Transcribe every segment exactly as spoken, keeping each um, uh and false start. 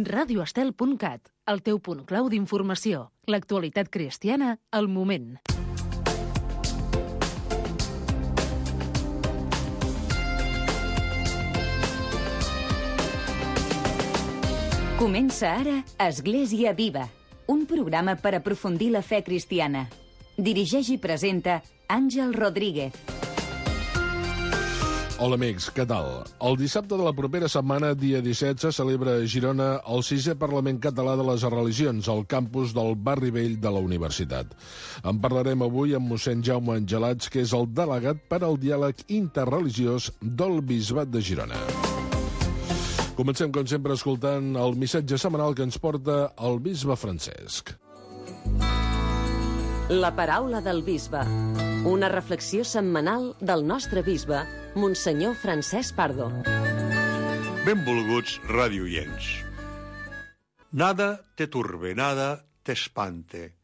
radio estel punt cat, el teu punt clau d'informació. L'actualitat cristiana al moment. Comença ara Església Viva, un programa per aprofundir la fe cristiana. Dirigeix i presenta Àngel Rodríguez. Hola amics, què tal? El dissabte de la propera setmana, dia disset, se celebra a Girona el sisè Parlament Català de les Religions, al campus del Barri Vell de la Universitat. En parlarem avui amb mossèn Jaume Angelats, que és el delegat per al diàleg interreligiós del Bisbat de Girona. Comencem, com sempre, escoltant el missatge setmanal que ens porta el bisbe Francesc. La paraula del bisbe. Una reflexió setmanal del nostre bisbe, Monsenyor Francesc Pardo. Benvolguts radioients. Nada te turbe, nada te espante.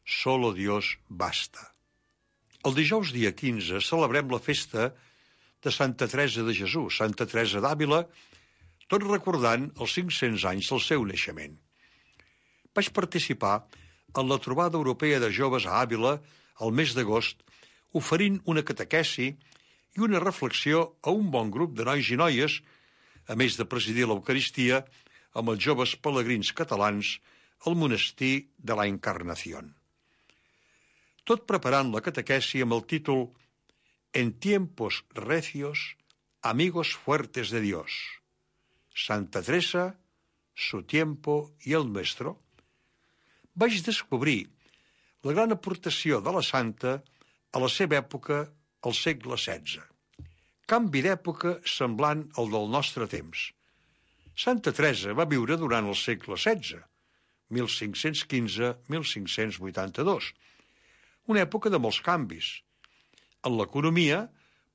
Solo Dios basta. El dijous dia quinze celebrem la festa de Santa Teresa de Jesús, Santa Teresa d'Àvila, tot recordant els cinc-cents anys del seu naixement. Vaig participar en la trobada europea de joves a Àvila el mes d'agost, oferint una catequesi i una reflexió a un bon grup de nois i noies, a més de presidir l'Eucaristia amb els joves pelegrins catalans al monestir de la Encarnación. Tot preparant la catequesi amb el títol En tiempos recios, amigos fuertes de Dios. Santa Teresa, su tiempo i el nuestro, vaig descobrir la gran aportació de la santa a la seva època, al segle setze. Canvi d'època semblant al del nostre temps. Santa Teresa va viure durant el segle setze, mil cinc-cents quinze a mil cinc-cents vuitanta-dos, una època de molts canvis. En l'economia,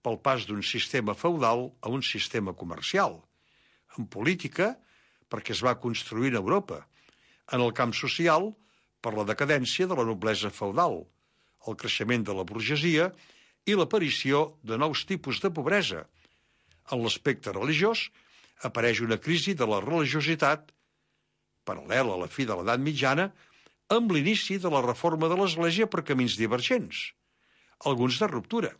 pel pas d'un sistema feudal a un sistema comercial. En política, perquè es va construir en Europa. En el camp social, per la decadència de la noblesa feudal, el creixement de la burgesia i l'aparició de nous tipus de pobresa. En l'aspecte religiós, apareix una crisi de la religiositat, paral·lela a la fi de l'edat mitjana, amb l'inici de la reforma de l'Església per camins divergents, alguns de ruptura.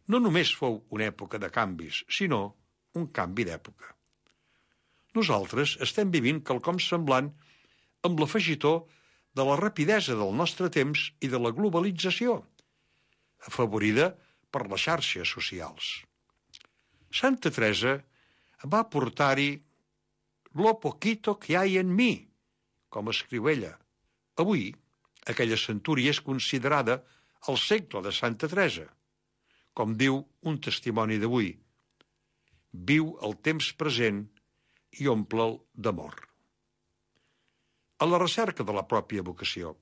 No només fou una època de canvis, sinó un canvi d'època. Nosaltres estem vivint quelcom semblant amb l'afegitó de la rapidesa del nostre temps i de la globalització, afavorida per les xarxes socials. Santa Teresa va portar-hi lo poquito que hay en mi, com escriu ella. Avui, aquella centúria és considerada el segle de Santa Teresa, com diu un testimoni d'avui. Viu el temps present i omple'l d'amor. A la recerca de la pròpia vocació.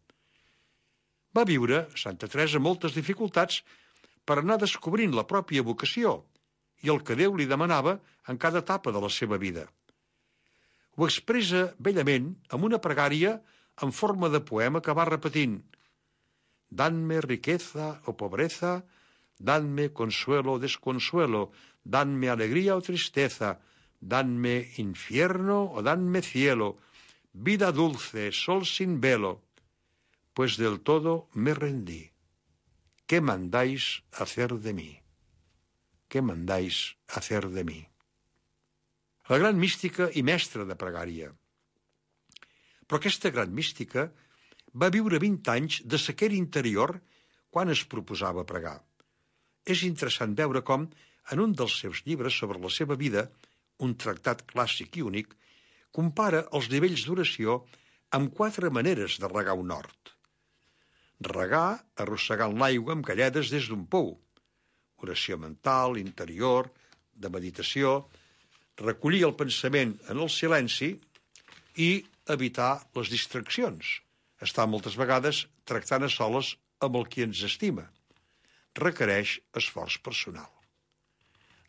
Va viure, Santa Teresa, moltes dificultats per anar descobrint la pròpia vocació i el que Déu li demanava en cada etapa de la seva vida. Ho expressa bellament amb una pregària en forma de poema que va repetint: «Danme riqueza o pobreza, danme consuelo o desconsuelo, danme alegría o tristeza, danme infierno o danme cielo, vida dulce, sol sin velo, pues del todo me rendí. ¿Qué mandáis hacer de mí? ¿Qué mandáis hacer de mí?» La gran mística i mestra de pregària. Però aquesta gran mística va viure vint anys de sequera interior quan es proposava pregar. És interessant veure com, en un dels seus llibres sobre la seva vida, un tractat clàssic i únic, compara els nivells d'oració amb quatre maneres de regar un hort. Regar arrossegant l'aigua amb galledes des d'un pou. Oració mental, interior, de meditació, recollir el pensament en el silenci i evitar les distraccions. Estar moltes vegades tractant a soles amb el qui ens estima. Requereix esforç personal.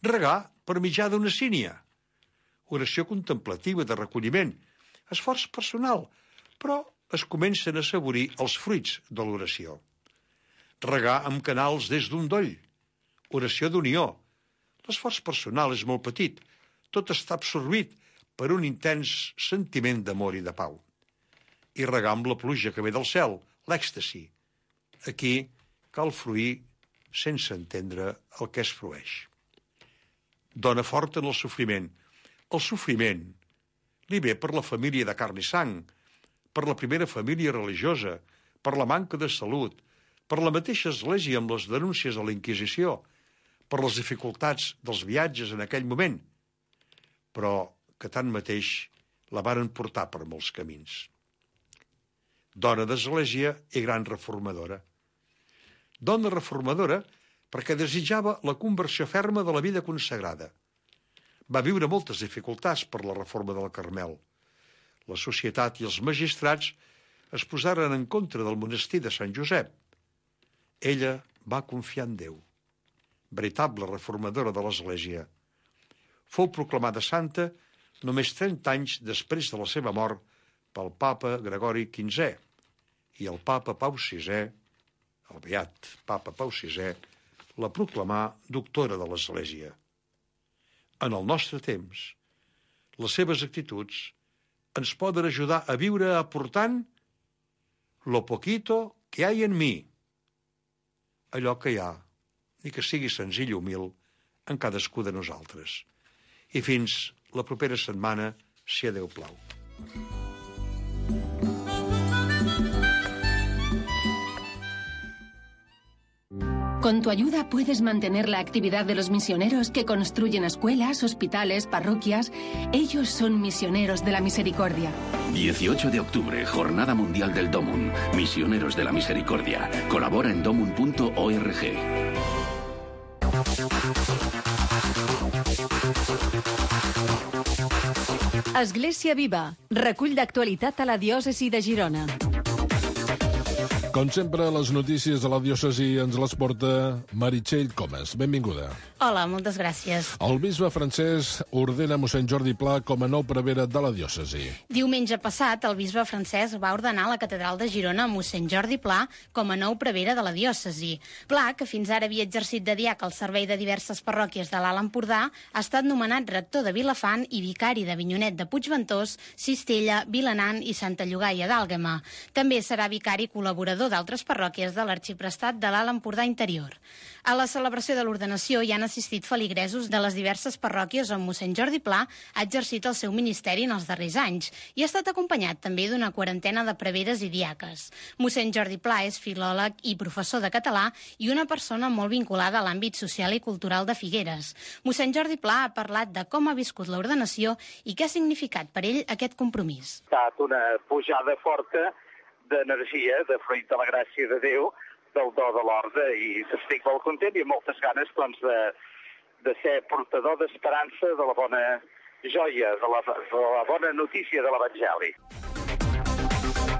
Regar per mitjà d'una sínia. Oració contemplativa de recolliment. Esforç personal, però es comencen a assaborir els fruits de l'oració. Regar amb canals des d'un doll. Oració d'unió. L'esforç personal és molt petit. Tot està absorbit per un intens sentiment d'amor i de pau. I regar amb la pluja que ve del cel, l'èxtasi. Aquí cal fruir sense entendre el que es frueix. Dona forta en el sofriment. El sofriment li ve per la família de carn i sang, per la primera família religiosa, per la manca de salut, per la mateixa església amb les denúncies a la Inquisició, per les dificultats dels viatges en aquell moment, però que tanmateix la varen portar per molts camins. Dona d'església i gran reformadora. Dona reformadora perquè desitjava la conversió ferma de la vida consagrada. Va viure moltes dificultats per la reforma del Carmel. La societat i els magistrats es posaren en contra del monestir de Sant Josep. Ella va confiar en Déu, veritable reformadora de l'Església. Fou proclamada santa només trenta anys després de la seva mort pel papa Gregori quinzè i el papa Pau sisè, el beat papa Pau sisè, la proclamà doctora de l'Església. En el nostre temps, les seves actituds ens poden ajudar a viure aportant lo poquito que hay en mi, allò que hi ha, ni que sigui senzill i humil, en cadascú de nosaltres. I fins la propera setmana, si a Déu plau. Con tu ayuda puedes mantener la actividad de los misioneros que construyen escuelas, hospitales, parroquias. Ellos son misioneros de la misericordia. dieciocho de octubre, Jornada Mundial del Dómun. Misioneros de la Misericordia. Colabora en domun punto org. Església Viva, recull d'actualitat a la diòcesi de Girona. Com sempre, les notícies de la diòcesi ens les porta Meritxell Comas. Benvinguda. Hola, moltes gràcies. El bisbe francès ordena mossèn Jordi Pla com a nou prevere de la diòcesi. Diumenge passat, el bisbe francès va ordenar a la catedral de Girona mossèn Jordi Pla com a nou prevere de la diòcesi. Pla, que fins ara havia exercit de diac al servei de diverses parròquies de l'Alt Empordà, ha estat nomenat rector de Vilafant i vicari d'Avinyonet de Puigventós, Cistella, Vilanant i Santa Llogaia d'Àlguema. També serà vicari col·laborador d'altres parròquies de l'Arxiprestat de l'Alt Empordà Interior. A la celebració de l'ordenació hi han assistit feligresos de les diverses parròquies on mossèn Jordi Pla ha exercit el seu ministeri en els darrers anys i ha estat acompanyat també d'una quarantena de preveres i diaques. Mossèn Jordi Pla és filòleg i professor de català i una persona molt vinculada a l'àmbit social i cultural de Figueres. Mossèn Jordi Pla ha parlat de com ha viscut l'ordenació i què ha significat per ell aquest compromís. Ha estat una pujada forta d'energia, de fruit de la gràcia de Déu, del do de l'orde, i estic molt content i amb moltes ganes doncs, de, de ser portador d'esperança de la bona joia, de la, de la bona notícia de l'Evangeli.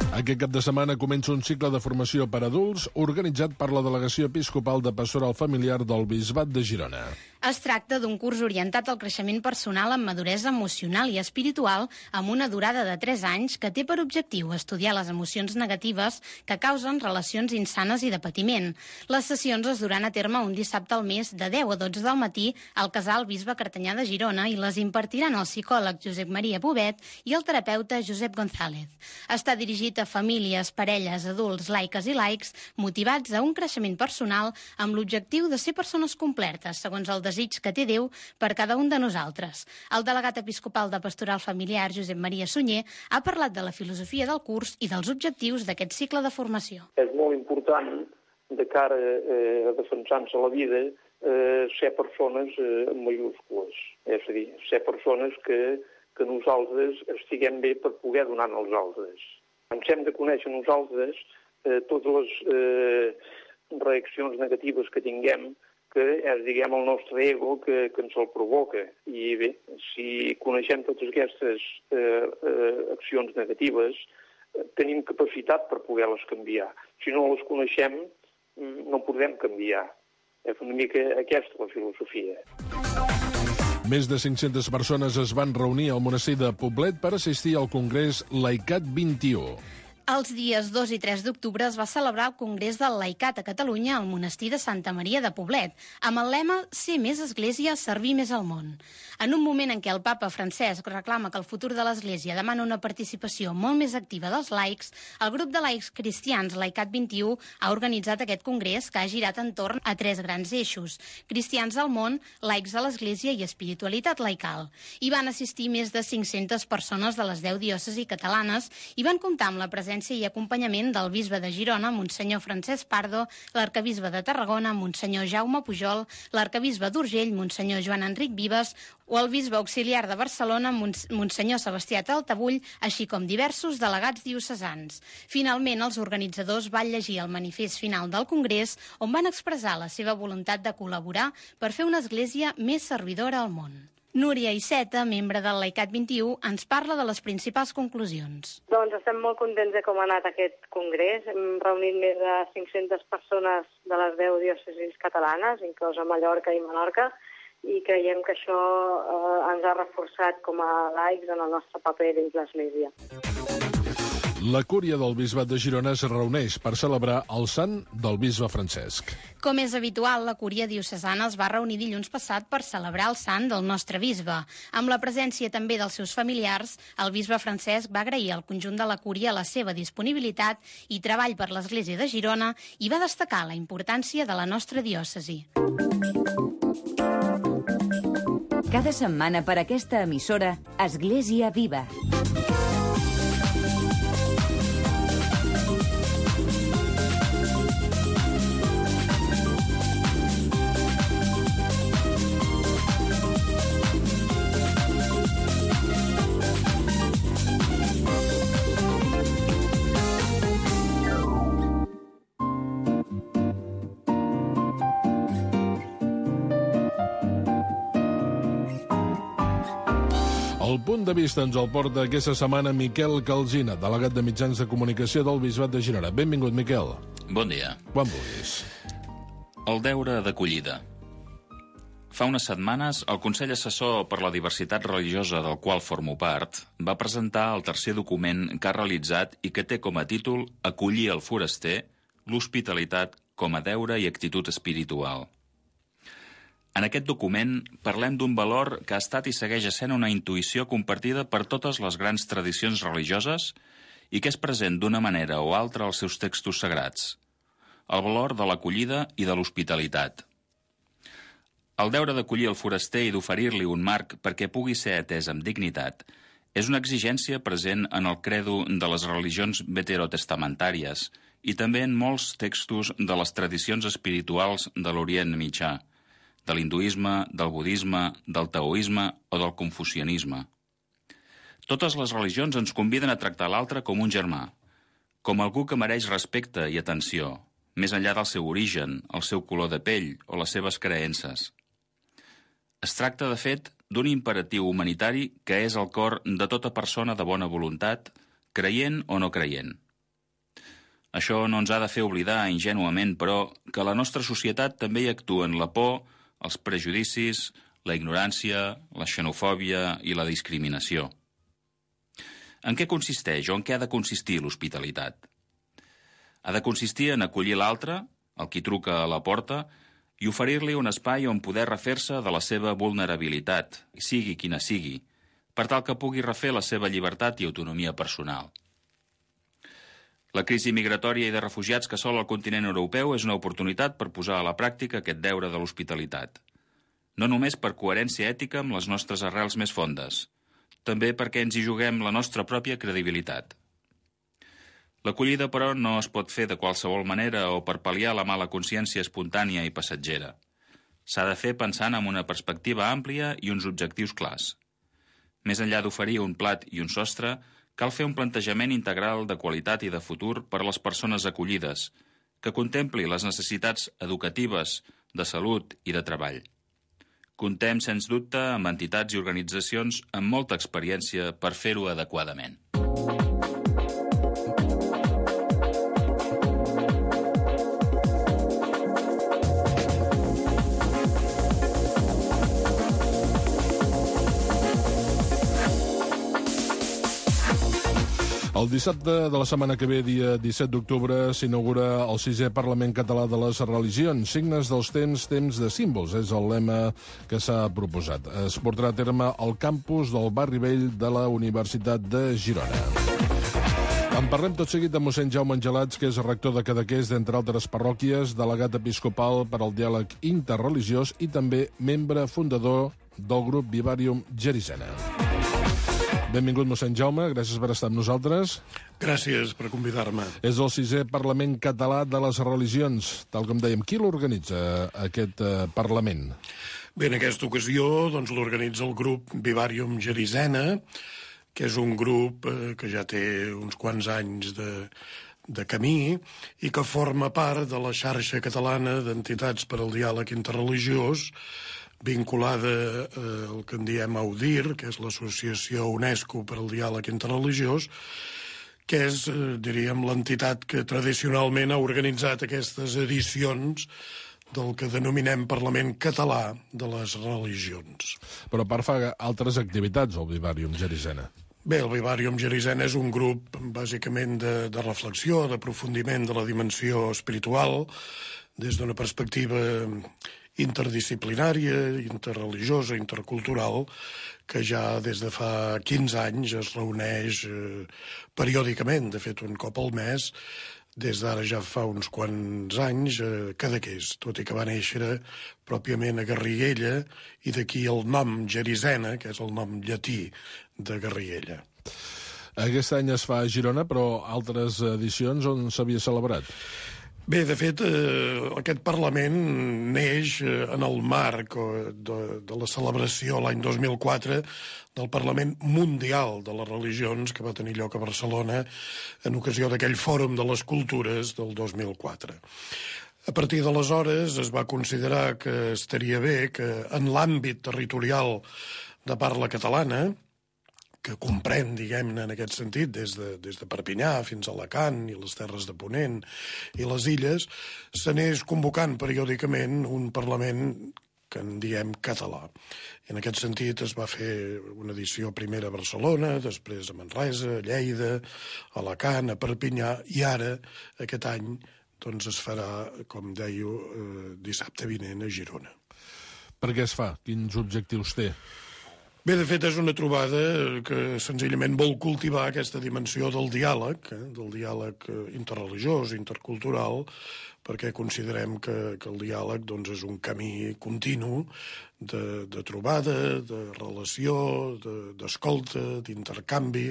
Aquest cap de setmana comença un cicle de formació per adults organitzat per la Delegació Episcopal de Pastoral Familiar del Bisbat de Girona. Es tracta d'un curs orientat al creixement personal amb maduresa emocional i espiritual amb una durada de tres anys que té per objectiu estudiar les emocions negatives que causen relacions insanes i de patiment. Les sessions es duran a terme un dissabte al mes de deu a dotze del matí al Casal Bisbe Cartanyà de Girona i les impartiran el psicòleg Josep Maria Bobet i el terapeuta Josep González. Està dirigit a famílies, parelles, adults, laiques i laics motivats a un creixement personal amb l'objectiu de ser persones completes, segons el desig que té Déu per cada un de nosaltres. El delegat episcopal de Pastoral Familiar, Josep Maria Sunyer, ha parlat de la filosofia del curs i dels objectius d'aquest cicle de formació. És molt important, de cara eh, a defensar-se la vida, eh, ser persones eh, en majúscules. És a dir, ser persones que, que nosaltres estiguem bé per poder donar als altres. Ens hem de conèixer nosaltres eh, totes les eh, reaccions negatives que tinguem, que és, diguem, el nostre ego que, que ens el provoca. I bé, si coneixem totes aquestes eh, eh, accions negatives, eh, tenim capacitat per poder-les canviar. Si no les coneixem, no podem canviar. És una mica aquesta la filosofia. Més de cinc-centes persones es van reunir al monestir de Poblet per assistir al congrés Laicat vint i u. Els dies dos i tres d'octubre es va celebrar el Congrés del Laicat a Catalunya al monestir de Santa Maria de Poblet, amb el lema «Ser més església, servir més al món». En un moment en què el papa Francesc reclama que el futur de l'Església demana una participació molt més activa dels laics, el grup de laics cristians Laicat vint-i-u ha organitzat aquest congrés que ha girat entorn a tres grans eixos: cristians al món, laics a l'Església i espiritualitat laical. Hi van assistir més de cinc-centes persones de les deu diòcesis catalanes i van comptar amb la presència i acompanyament del bisbe de Girona, Monsenyor Francesc Pardo, l'arcabisbe de Tarragona, Monsenyor Jaume Pujol, l'arcabisbe d'Urgell, Monsenyor Joan Enric Vives, o el bisbe auxiliar de Barcelona, Monsenyor Sebastià Taltabull, així com diversos delegats diocesans. Finalment, els organitzadors van llegir el manifest final del Congrés, on van expressar la seva voluntat de col·laborar per fer una església més servidora al món. Núria Iceta, membre del Laicat vint-i-u, ens parla de les principals conclusions. Doncs estem molt contents de com ha anat aquest congrés. Hem reunit més de cinc-centes persones de les deu diòcesis catalanes, inclosa Mallorca i Menorca, i creiem que això eh, ens ha reforçat com a laics en el nostre paper dins l'Església. La cúria del Bisbat de Girona es reuneix per celebrar el sant del bisbe Francesc. Com és habitual, la cúria diocesana es va reunir dilluns passat per celebrar el sant del nostre bisbe. Amb la presència també dels seus familiars, el bisbe Francesc va agrair al conjunt de la cúria la seva disponibilitat i treball per l'Església de Girona i va destacar la importància de la nostra diòcesi. Cada setmana per aquesta emissora, Església Viva. El punt de vista ens el porta aquesta setmana Miquel Calsina, delegat de mitjans de comunicació del Bisbat de Girona. Benvingut, Miquel. Bon dia. Quan vulguis. El deure d'acollida. Fa unes setmanes, el Consell Assessor per la Diversitat Religiosa, del qual formo part, va presentar el tercer document que ha realitzat i que té com a títol Acollir el foraster, l'hospitalitat com a deure i actitud espiritual. En aquest document parlem d'un valor que ha estat i segueix essent una intuïció compartida per totes les grans tradicions religioses i que és present d'una manera o altra als seus textos sagrats. El valor de l'acollida i de l'hospitalitat. El deure d'acollir el foraster i d'oferir-li un marc perquè pugui ser atès amb dignitat és una exigència present en el credo de les religions veterotestamentàries i també en molts textos de les tradicions espirituals de l'Orient Mitjà, de l'hinduisme, del budisme, del taoisme o del confucianisme. Totes les religions ens conviden a tractar l'altre com un germà, com algú que mereix respecte i atenció, més enllà del seu origen, el seu color de pell o les seves creences. Es tracta, de fet, d'un imperatiu humanitari que és el cor de tota persona de bona voluntat, creient o no creient. Això no ens ha de fer oblidar ingènuament, però, que la nostra societat també hi actuen la por, els prejudicis, la ignorància, la xenofòbia i la discriminació. En què consisteix o en què ha de consistir l'hospitalitat? Ha de consistir en acollir l'altre, el qui truca a la porta, i oferir-li un espai on poder refer-se de la seva vulnerabilitat, sigui quina sigui, per tal que pugui refer la seva llibertat i autonomia personal. La crisi migratòria i de refugiats que assola el continent europeu és una oportunitat per posar a la pràctica aquest deure de l'hospitalitat. No només per coherència ètica amb les nostres arrels més fondes, també perquè ens hi juguem la nostra pròpia credibilitat. L'acollida, però, no es pot fer de qualsevol manera o per pal·liar la mala consciència espontània i passatgera. S'ha de fer pensant en una perspectiva àmplia i uns objectius clars. Més enllà d'oferir un plat i un sostre, cal fer un plantejament integral de qualitat i de futur per a les persones acollides, que contempli les necessitats educatives, de salut i de treball. Contem, sens dubte, amb entitats i organitzacions amb molta experiència per fer-ho adequadament. El dissabte de la setmana que ve, dia disset d'octubre, s'inaugura el sisè Parlament Català de les Religions. Signes dels temps, temps de símbols, és el lema que s'ha proposat. Es portarà a terme al campus del Barri Vell de la Universitat de Girona. En parlem tot seguit de mossèn Jaume Angelats, que és rector de Cadaqués, d'entre altres parròquies, delegat episcopal per al diàleg interreligiós i també membre fundador del grup Vivarium Gerizena. Benvingut, mossèn Jaume, gràcies per estar amb nosaltres. Gràcies per convidar-me. És el sisè Parlament Català de les Religions. Tal com dèiem, qui l'organitza, aquest eh, Parlament? Bé, en aquesta ocasió doncs, l'organitza el grup Vivarium Gerizena, que és un grup eh, que ja té uns quants anys de, de camí i que forma part de la xarxa catalana d'entitats per al diàleg interreligiós, vinculada eh, al que en diem AUDIR, que és l'Associació UNESCO per al Diàleg Interreligiós, que és, eh, diríem, l'entitat que tradicionalment ha organitzat aquestes edicions del que denominem Parlament Català de les Religions. Però a part fa altres activitats, el Vivarium Gerizena. Bé, el Vivarium Gerizena és un grup bàsicament de, de reflexió, d'aprofundiment de la dimensió espiritual, des d'una perspectiva interdisciplinària, interreligiosa, intercultural, que ja des de fa quinze anys es reuneix eh, periòdicament, de fet un cop al mes, des d'ara ja fa uns quants anys, a Cadaqués, tot i que va néixer pròpiament a Garriguella, i d'aquí el nom Gerizena, que és el nom llatí de Garriguella. Aquest any es fa a Girona, però altres edicions on s'havia celebrat? Bé, de fet, eh, aquest Parlament neix eh, en el marc eh, de, de la celebració l'any dos mil quatre del Parlament Mundial de les Religions, que va tenir lloc a Barcelona en ocasió d'aquell Fòrum de les Cultures del dos mil quatre. A partir d'aleshores es va considerar que estaria bé que en l'àmbit territorial de parla catalana, que comprèn, diguem-ne, en aquest sentit, des de, des de Perpinyà fins a Alacant i les Terres de Ponent i les Illes, s'anés convocant periòdicament un Parlament que en diem català. I en aquest sentit es va fer una edició primera a Barcelona, després a Manresa, a Lleida, a Alacant, a Perpinyà, i ara, aquest any, doncs es farà, com deia, eh, dissabte vinent a Girona. Per què es fa? Quins objectius té? Bé, de fet, és una trobada que senzillament vol cultivar aquesta dimensió del diàleg, eh, del diàleg interreligiós, intercultural, perquè considerem que, que el diàleg doncs, és un camí continu de, de trobada, de relació, d'escolta, de, d'intercanvi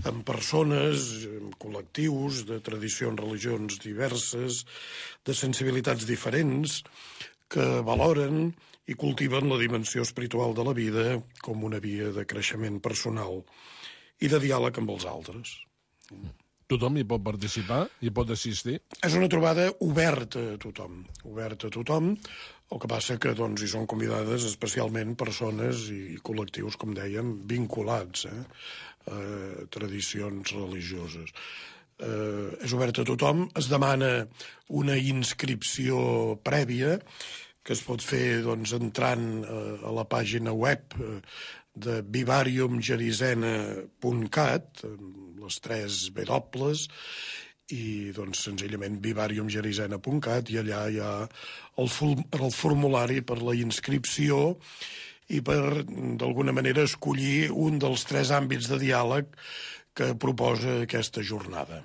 amb persones, amb col·lectius, de tradicions, religions diverses, de sensibilitats diferents, que valoren i cultiven la dimensió espiritual de la vida com una via de creixement personal i de diàleg amb els altres. Tothom hi pot participar? Hi pot assistir? És una trobada oberta a tothom. Oberta a tothom. El que passa que doncs, hi són convidades especialment persones i col·lectius, com dèiem, vinculats eh, a tradicions religioses. Eh, és oberta a tothom. Es demana una inscripció prèvia que es pot fer doncs, entrant eh, a la pàgina web eh, de vivarium gerizena punt cat, les tres W, i doncs, senzillament vivarium gerizena punt cat, i allà hi ha el, el formulari per la inscripció i per, d'alguna manera, escollir un dels tres àmbits de diàleg que proposa aquesta jornada.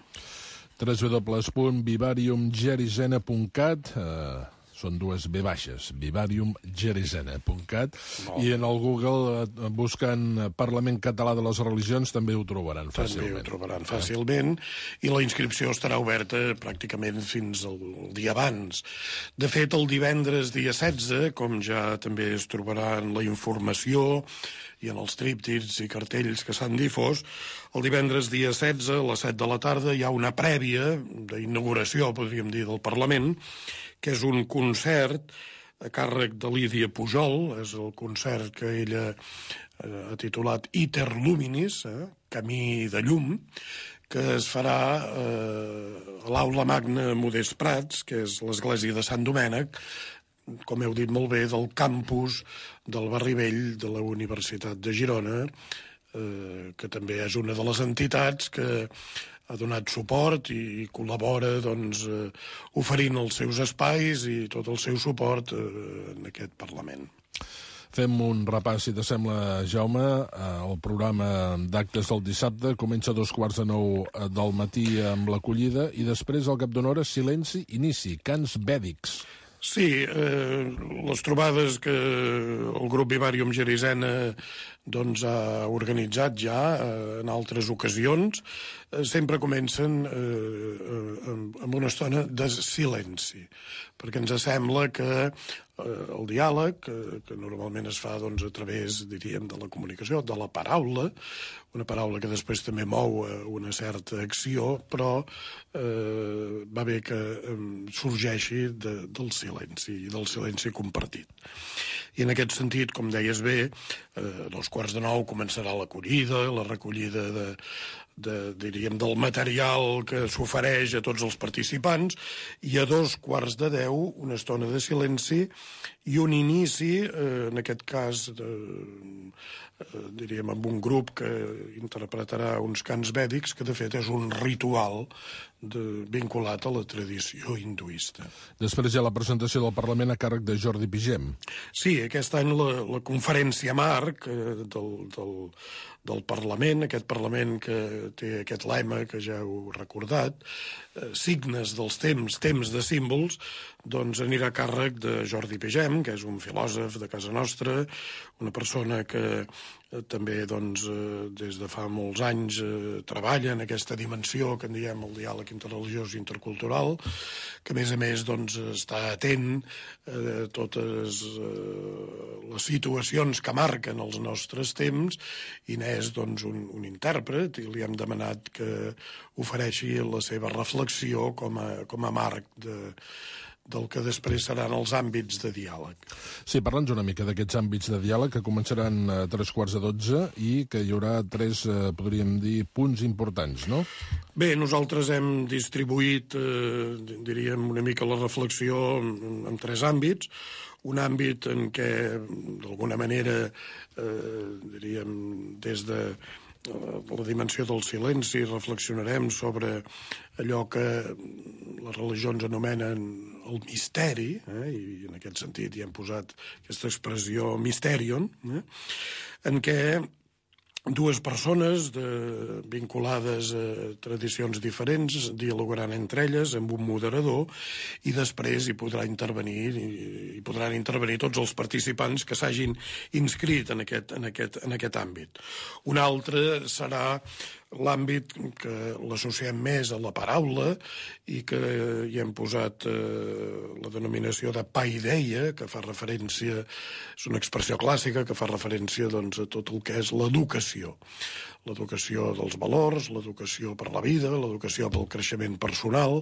w w w punt vivarium gerizena punt cat eh... són dues B baixes, vivarium gerizena punt cat, i en el Google, buscant Parlament Català de les Religions, també ho trobaran fàcilment. També ho trobaran fàcilment, i la inscripció estarà oberta pràcticament fins al dia abans. De fet, el divendres dia setze, com ja també es trobarà en la informació i en els tríptics i cartells que s'han difós, el divendres dia setze, a les set de la tarda, hi ha una prèvia d'inauguració, podríem dir, del Parlament, que és un concert a càrrec de Lídia Pujol, és el concert que ella ha titulat Iter Luminis, eh, Camí de Llum, que es farà eh, a l'Aula Magna Modest Prats, que és l'església de Sant Domènec, com heu dit molt bé, del campus del Barri Vell de la Universitat de Girona, eh, que també és una de les entitats que ha donat suport i col·labora doncs, eh, oferint els seus espais i tot el seu suport eh, en aquest Parlament. Fem un repàs, si t'assembla, Jaume. El programa d'actes del dissabte comença a dos quarts de nou del matí amb l'acollida i després, al cap d'una hora, silenci, inici, cants vèdics. Sí, eh, les trobades que el grup Vivarium Gerisena doncs, ha organitzat ja eh, en altres ocasions, eh, sempre comencen eh, amb una estona de silenci, perquè ens sembla que eh, el diàleg, que, que normalment es fa doncs, a través, diríem, de la comunicació, de la paraula, una paraula que després també mou una certa acció, però eh, va bé que eh, sorgeixi de, del silenci, i del silenci compartit. I en aquest sentit, com deies bé, eh, a dos quarts de nou començarà l'acollida, la recollida de, de, diríem, del material que s'ofereix a tots els participants, i a dos quarts de deu una estona de silenci i un inici, eh, en aquest cas, de, eh, diríem, amb un grup que interpretarà uns cants vèdics, que de fet és un ritual de, vinculat a la tradició hinduista. Després hi ha la presentació del Parlament a càrrec de Jordi Pigem. Sí, aquest any la, la conferència marc eh, del, del, del Parlament, aquest Parlament que té aquest lema que ja heu recordat, eh, signes dels temps, temps de símbols, doncs anirà a càrrec de Jordi Pigem, que és un filòsof de casa nostra, una persona que eh, també doncs, eh, des de fa molts anys eh, treballa en aquesta dimensió que en diem el diàleg interreligiós i intercultural, que a més a més doncs, està atent a totes eh, les situacions que marquen els nostres temps i n'és doncs, un, un intèrpret i li hem demanat que ofereixi la seva reflexió com a, com a marc de, del que després seran els àmbits de diàleg. Sí, parla'ns una mica d'aquests àmbits de diàleg que començaran a tres quarts de dotze i que hi haurà tres, eh, podríem dir, punts importants, no? Bé, nosaltres hem distribuït, eh, diríem, una mica la reflexió en, en tres àmbits. Un àmbit en què, d'alguna manera, eh, diríem, des de la dimensió del silenci, reflexionarem sobre allò que les religions anomenen el misteri, eh? I en aquest sentit hi hem posat aquesta expressió mysterion, eh? En què dues persones de, vinculades a tradicions diferents dialogaran entre elles amb un moderador i després hi podrà intervenir i, hi podran intervenir tots els participants que s'hagin inscrit en aquest, en aquest, en aquest àmbit. Un altre serà l'àmbit que l'associem més a la paraula i que hi hem posat eh, la denominació de paideia, que fa referència, és una expressió clàssica que fa referència doncs, a tot el que és l'educació. L'educació dels valors, l'educació per la vida, l'educació pel creixement personal,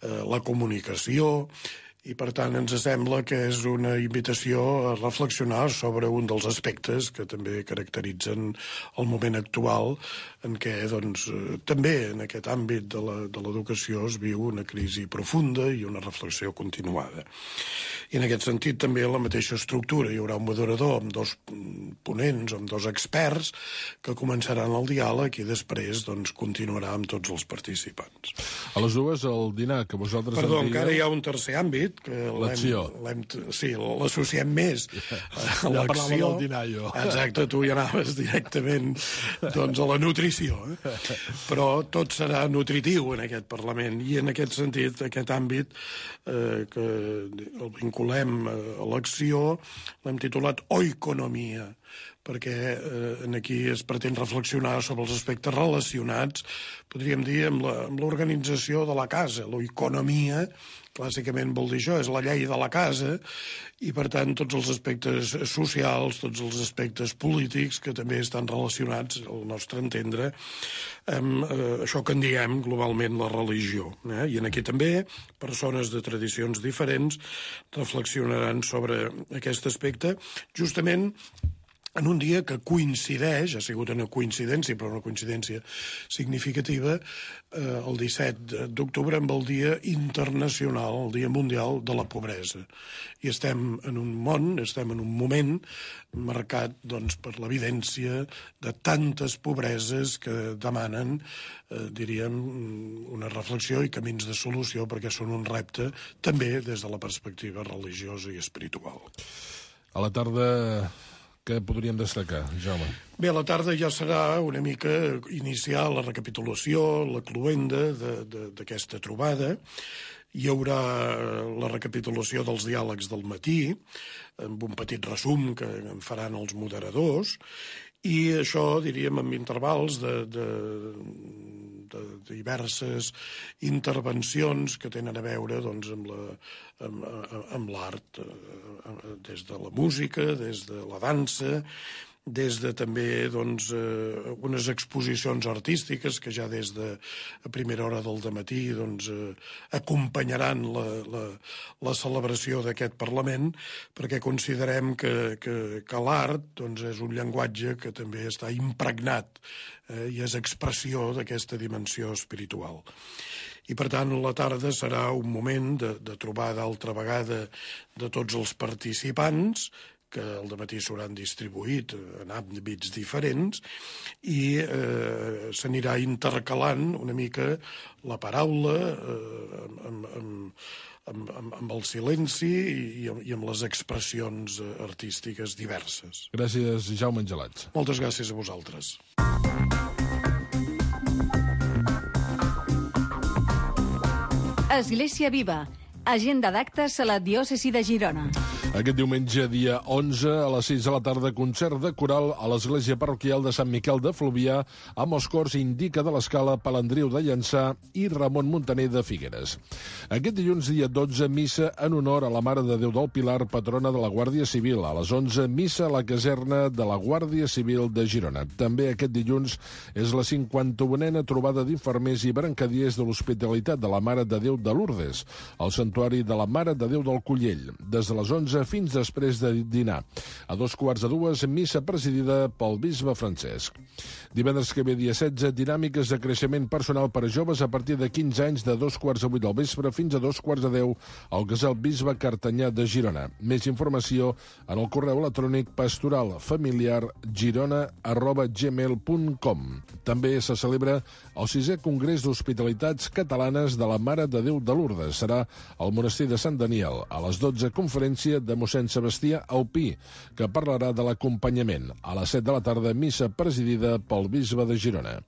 eh, la comunicació, i per tant ens sembla que és una invitació a reflexionar sobre un dels aspectes que també caracteritzen el moment actual en què doncs, també en aquest àmbit de l'educació es viu una crisi profunda i una reflexió continuada. I en aquest sentit també la mateixa estructura. Hi haurà un moderador amb dos ponents, amb dos experts que començaran el diàleg i després doncs, continuarà amb tots els participants. A les dues el dinar que vosaltres... Perdó, envieu... encara hi ha un tercer àmbit que l'acció. Sí, l'associem més a ja l'acció. parlava del dinar, jo. Exacte, tu ja anaves directament doncs, a la nutrició. Eh? Però tot serà nutritiu en aquest Parlament i en aquest sentit, aquest àmbit eh, que el vinculem a l'acció l'hem titulat oikonomia, perquè eh, aquí es pretén reflexionar sobre els aspectes relacionats, podríem dir, amb l'organització de la casa. L'oikonomia, clàssicament vol dir això, és la llei de la casa, i per tant tots els aspectes socials, tots els aspectes polítics que també estan relacionats, al nostre entendre, amb eh, això que en diem globalment la religió. Eh? I en aquí també persones de tradicions diferents reflexionaran sobre aquest aspecte, justament en un dia que coincideix, ha sigut una coincidència, però una coincidència significativa, eh, el disset d'octubre amb el Dia Internacional, el Dia Mundial de la Pobresa. I estem en un món, estem en un moment marcat doncs, per l'evidència de tantes pobreses que demanen, eh, diríem, una reflexió i camins de solució, perquè són un repte també des de la perspectiva religiosa i espiritual. A la tarda, què podríem destacar, Jaume? Bé, a la tarda ja serà una mica iniciar la recapitulació, la cloenda d'aquesta trobada. Hi haurà la recapitulació dels diàlegs del matí, amb un petit resum que en faran els moderadors, i això, diríem, amb intervals de, de, de diverses intervencions que tenen a veure doncs, amb la, amb, amb l'art, des de la música, des de la dansa, des de també doncs, eh, unes exposicions artístiques que ja des de a primera hora del dematí doncs, eh, acompanyaran la, la, la celebració d'aquest Parlament, perquè considerem que, que, que l'art doncs, és un llenguatge que també està impregnat eh, i és expressió d'aquesta dimensió espiritual. I, per tant, la tarda serà un moment de, de trobar d'altra vegada de tots els participants, que al dematí s'hauran distribuït en àmbits diferents, i eh, s'anirà intercalant una mica la paraula eh, amb, amb, amb, amb, amb el silenci i amb, i amb les expressions artístiques diverses. Gràcies, Jaume Angelats. Moltes gràcies a vosaltres. Església Viva. Agenda d'actes a la diòcesi de Girona. Aquest diumenge, dia onze, a les sis de la tarda, concert de coral a l'església parroquial de Sant Miquel de Fluvià amb els cors Indica de l'Escala, Palandriu de Llançà i Ramon Muntaner de Figueres. Aquest dilluns, dia dotze, missa en honor a la Mare de Déu del Pilar, patrona de la Guàrdia Civil. A les onze, missa a la caserna de la Guàrdia Civil de Girona. També aquest dilluns és la cinquanta-unena trobada d'infermers i brancadiers de l'Hospitalitat de la Mare de Déu de Lourdes, al Santuari de la Mare de Déu del Collell, des de les onze fins després de dinar. A dos quarts de dues, missa presidida pel bisbe Francesc. Divendres que ve, dia setze, dinàmiques de creixement personal per a joves a partir de quinze anys, de dos quarts de vuit del vespre fins a dos quarts de deu al casal Bisbe Cartanyà de Girona. Més informació en el correu electrònic pastoralfamiliargirona arroba gmail punt com. També se celebra el sisè Congrés d'Hospitalitats Catalanes de la Mare de Déu de Lourdes. Serà al monestir de Sant Daniel. A les dotze, conferència de mossèn Sebastià Aupí, que parlarà de l'acompanyament. A les set de la tarda, missa presidida pel bisbe de Girona.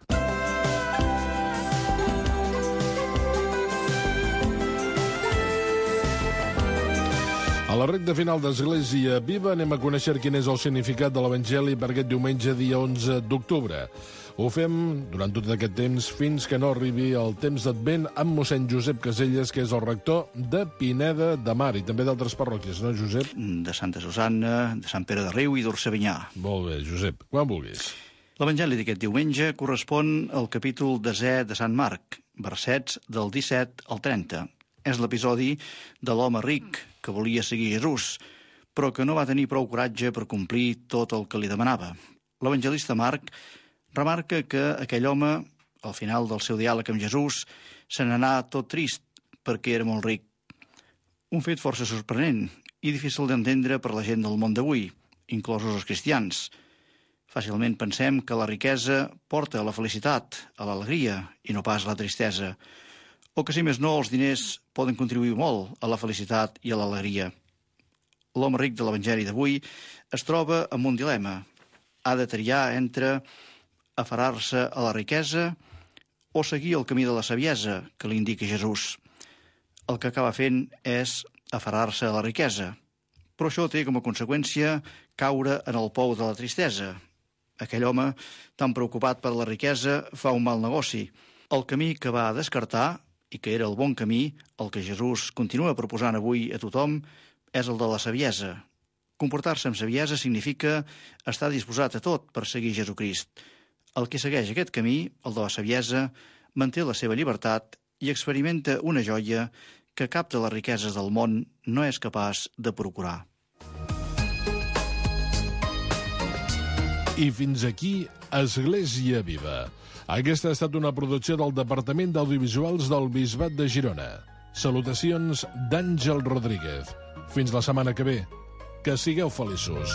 A la recta final d'Església Viva anem a conèixer quin és el significat de l'Evangeli per aquest diumenge, dia onze d'octubre. Ho fem durant tot aquest temps fins que no arribi el temps d'Advent amb mossèn Josep Caselles, que és el rector de Pineda de Mar i també d'altres parròquies, no, Josep? De Santa Susanna, de Sant Pere de Riu i d'Orcevinyà. Molt bé, Josep, quan vulguis. L'Evangeli d'aquest diumenge correspon al capítol desè de Sant Marc, versets del disset al trenta. És l'episodi de l'home ric que volia seguir Jesús, però que no va tenir prou coratge per complir tot el que li demanava. L'evangelista Marc remarca que aquell home, al final del seu diàleg amb Jesús, se n'anà tot trist perquè era molt ric. Un fet força sorprenent i difícil d'entendre per la gent del món d'avui, inclosos els cristians. Fàcilment pensem que la riquesa porta a la felicitat, a l'alegria i no pas a la tristesa, o que, si més no, els diners poden contribuir molt a la felicitat i a l'alegria. L'home ric de l'Evangeli d'avui es troba amb un dilema. Ha de triar entre aferrar-se a la riquesa o seguir el camí de la saviesa que li indica Jesús. El que acaba fent és aferrar-se a la riquesa, però això té com a conseqüència caure en el pou de la tristesa. Aquell home, tan preocupat per la riquesa, fa un mal negoci. El camí que va descartar, i que era el bon camí, el que Jesús continua proposant avui a tothom, és el de la saviesa. Comportar-se amb saviesa significa estar disposat a tot per seguir Jesucrist. El que segueix aquest camí, el de la saviesa, manté la seva llibertat i experimenta una joia que cap de les riqueses del món no és capaç de procurar. I fins aquí Església Viva. Aquesta ha estat una producció del Departament d'Audiovisuals del Bisbat de Girona. Salutacions d'Àngel Rodríguez. Fins la setmana que ve. Que sigueu feliços.